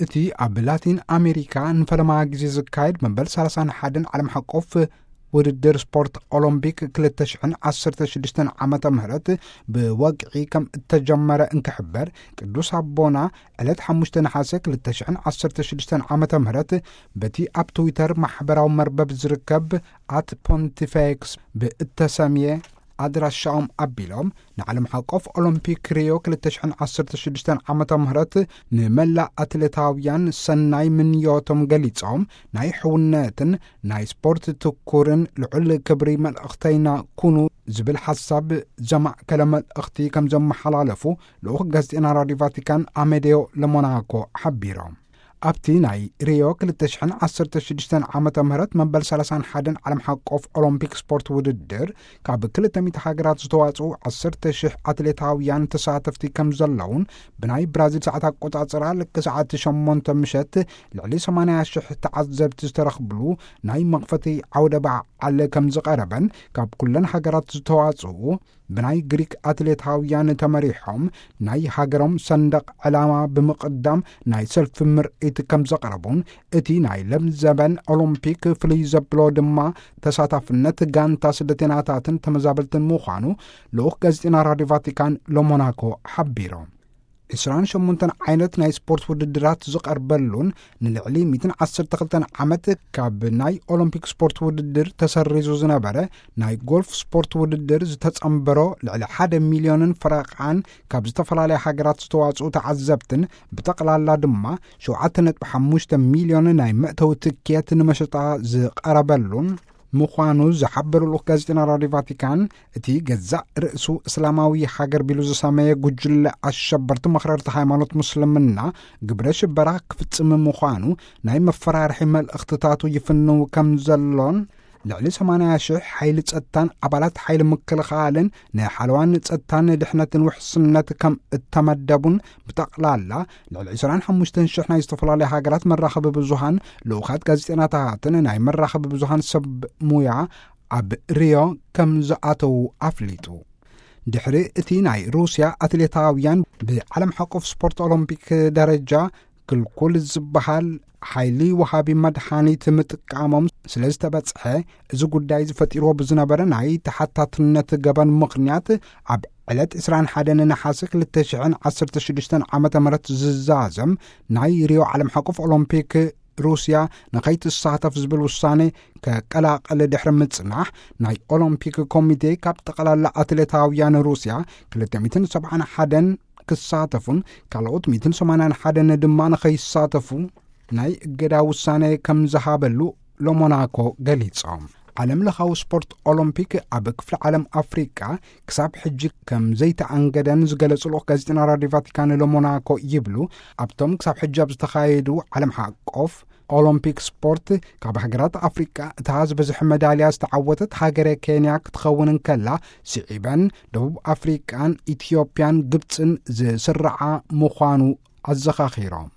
እቲ ኣብ ላቲን ኣሜሪካ ንፈለማ ግዜ ዝካየድ መበል ሰላሳን ሓደን ዓለም ሓቆፍ ውድድር ስፖርት ኦሎምፒክ ክልተ ሽሕን ዓሰርተ ሽዱሽተን ዓመተ ምህረት ብወግዒ ከም እተጀመረ እንክሕበር፣ ቅዱስ ኣቦና ዕለት ሓሙሽተ ነሓሰ ክልተ ሽሕን ዓሰርተ ሽዱሽተን ዓመተ ምህረት በቲ ኣብ ትዊተር ማሕበራዊ መርበብ ዝርከብ ኣት ፖንቲፌክስ ብእተሰምየ ኣድራሻኦም ኣቢሎም፣ ንዓለም ሓቆፍ ኦሎምፒክ ሪዮ ክልተ ሽሕን ዓሰርተ ሽዱሽተን ዓመተ ምህረት ንመላእ ኣትሌታውያን ሰናይ ምንዮቶም ገሊጾም፣ ናይ ሕውነትን ናይ ስፖርት ትኩርን ልዑል ክብሪ መልእኽተይና ኩኑ ዝብል ሓሳብ ዘማእከለ መልእኽቲ ከም ዘመሓላለፉ ልኡኽ ጋዜጠና ራዲዮ ቫቲካን ኣሜዴዮ ለሞናኮ ሓቢሮም። ኣብቲ ናይ ሪዮ ክልተ ሽሕን ዓሰርተ ሽዱሽተን ዓመተ ምህረት መበል ሰላሳን ሓደን ዓለም ሓቆፍ ኦሎምፒክ ስፖርት ውድድር፣ ካብ ክልተ ሚእቲ ሃገራት ዝተዋጽኡ ዓሰርተ ሽሕ ኣትሌታውያን ተሳተፍቲ ከም ዘለውን፣ ብናይ ብራዚል ሰዓት ኣቆጻጽራ ልክ ሰዓት ሸሞንተ ምሸት ልዕሊ ሰማንያ ሽሕ ተዓዘብቲ ዝተረኽብሉ ናይ መኽፈቲ ዓውደ በዓል ከም ዝቐረበን፣ ካብ ኩለን ሃገራት ዝተዋጽኡ ብናይ ግሪክ ኣትሌታውያን ተመሪሖም ናይ ሃገሮም ሰንደቕ ዕላማ ብምቕዳም ናይ ሰልፊ ምርኢት ከም ዘቕረቡን፣ እቲ ናይ ለምዘበን ኦሎምፒክ ፍልይ ዘብሎ ድማ ተሳታፍነት ጋንታ ስደተኛታትን ተመዛበልትን ምዃኑ ልኡኽ ጋዜጠና ራዲዮ ቫቲካን ለሞናኮ ሓቢሮም። ዕስራን ሸሞንተን ዓይነት ናይ ስፖርት ውድድራት ዝቐርበሉን፣ ንልዕሊ ሚእትን ዓሰርተ ክልተን ዓመት ካብ ናይ ኦሎምፒክ ስፖርት ውድድር ተሰሪዙ ዝነበረ ናይ ጎልፍ ስፖርት ውድድር ዝተጸንበሮ፣ ልዕሊ ሓደ ሚልዮንን ፈረቓን ካብ ዝተፈላለያ ሃገራት ዝተዋጽኡ ተዓዘብትን፣ ብጠቕላላ ድማ ሸውዓተ ነጥቢ ሓሙሽተ ሚልዮን ናይ መእተዊ ትኬት ንመሸጣ ዝቐረበሉን ምዃኑ ዝሓበሩ ልኡኽ ጋዜጠና ራዲዮ ቫቲካን፣ እቲ ገዛእ ርእሱ እስላማዊ ሃገር ቢሉ ዝሰመየ ጉጅለ ኣሸበርቲ መኽረርቲ ሃይማኖት ሙስልምና፣ ግብረ ሽበራ ክፍጽም ምዃኑ ናይ መፈራርሒ መልእኽትታቱ ይፍንው ከም ዘሎን፣ ልዕሊ ሰማንያ ሽሕ ሓይሊ ጸጥታን ኣባላት ሓይሊ ምክልኻልን ንሓለዋን ጸጥታን ድሕነትን ውሕስነት ከም እተመደቡን፣ ብጠቕላላ ልዕሊ ዕስራን ሓሙሽተን ሽሕ ናይ ዝተፈላለዩ ሃገራት መራኸቢ ብዙሃን፣ ልኡኻት ጋዜጠናታትን ናይ መራኸቢ ብዙሃን ሰብ ሙያ ኣብ ሪዮ ከም ዝኣተዉ ኣፍሊጡ። ድሕሪ እቲ ናይ ሩስያ ኣትሌታውያን ብዓለም ሓቆፍ ስፖርት ኦሎምፒክ ደረጃ ክልኩል ዝበሃል ሓይሊ ወሃቢ መድሃኒት ምጥቃሞም ስለ ዝተበጽሐ፣ እዚ ጉዳይ ዝፈጢርዎ ብዝነበረ ናይ ተሓታትነት ገበን ምኽንያት፣ ኣብ ዕለት ዕስራን ሓደን ነሓሰ ክልተ ሽሕን ዓሰርተ ሽዱሽተን ዓመተ ምህረት ዝዛዘም ናይ ሪዮ ዓለም ሓቆፍ ኦሎምፒክ ሩስያ ንኸይትሳተፍ ዝብል ውሳኔ ከቀላቕል ድሕሪ ምጽናሕ፣ ናይ ኦሎምፒክ ኮሚቴ ካብ ጠቕላላ ኣትሌታውያን ሩስያ ክልተ ሚእትን ሰብዓን ሓደን ክሳተፉን ካልኦት ሚእትን ሰማንያን ሓደን ድማ ንኸይሳተፉ ናይ እገዳ ውሳኔ ከም ዝሃበሉ ለሞናኮ ገሊጾም። ዓለም ለኻዊ ስፖርት ኦሎምፒክ ኣብ ክፍለ ዓለም ኣፍሪቃ ክሳብ ሕጂ ከም ዘይተኣንገደን ዝገለጹ ልኡኽ ጋዜጠና ራዲዮ ቫቲካን ለሞናኮ ይብሉ፣ ኣብቶም ክሳብ ሕጂ ኣብ ዝተኻየዱ ዓለም ሓቆፍ ኦሎምፒክ ስፖርት ካብ ሃገራት ኣፍሪቃ እታ ዝበዝሐ መዳልያ ዝተዓወተት ሃገረ ኬንያ ክትኸውን እንከላ፣ ስዒበን ደቡብ ኣፍሪቃን ኢትዮጵያን ግብጽን ዝስርዓ ምዃኑ ኣዘኻኺሮም።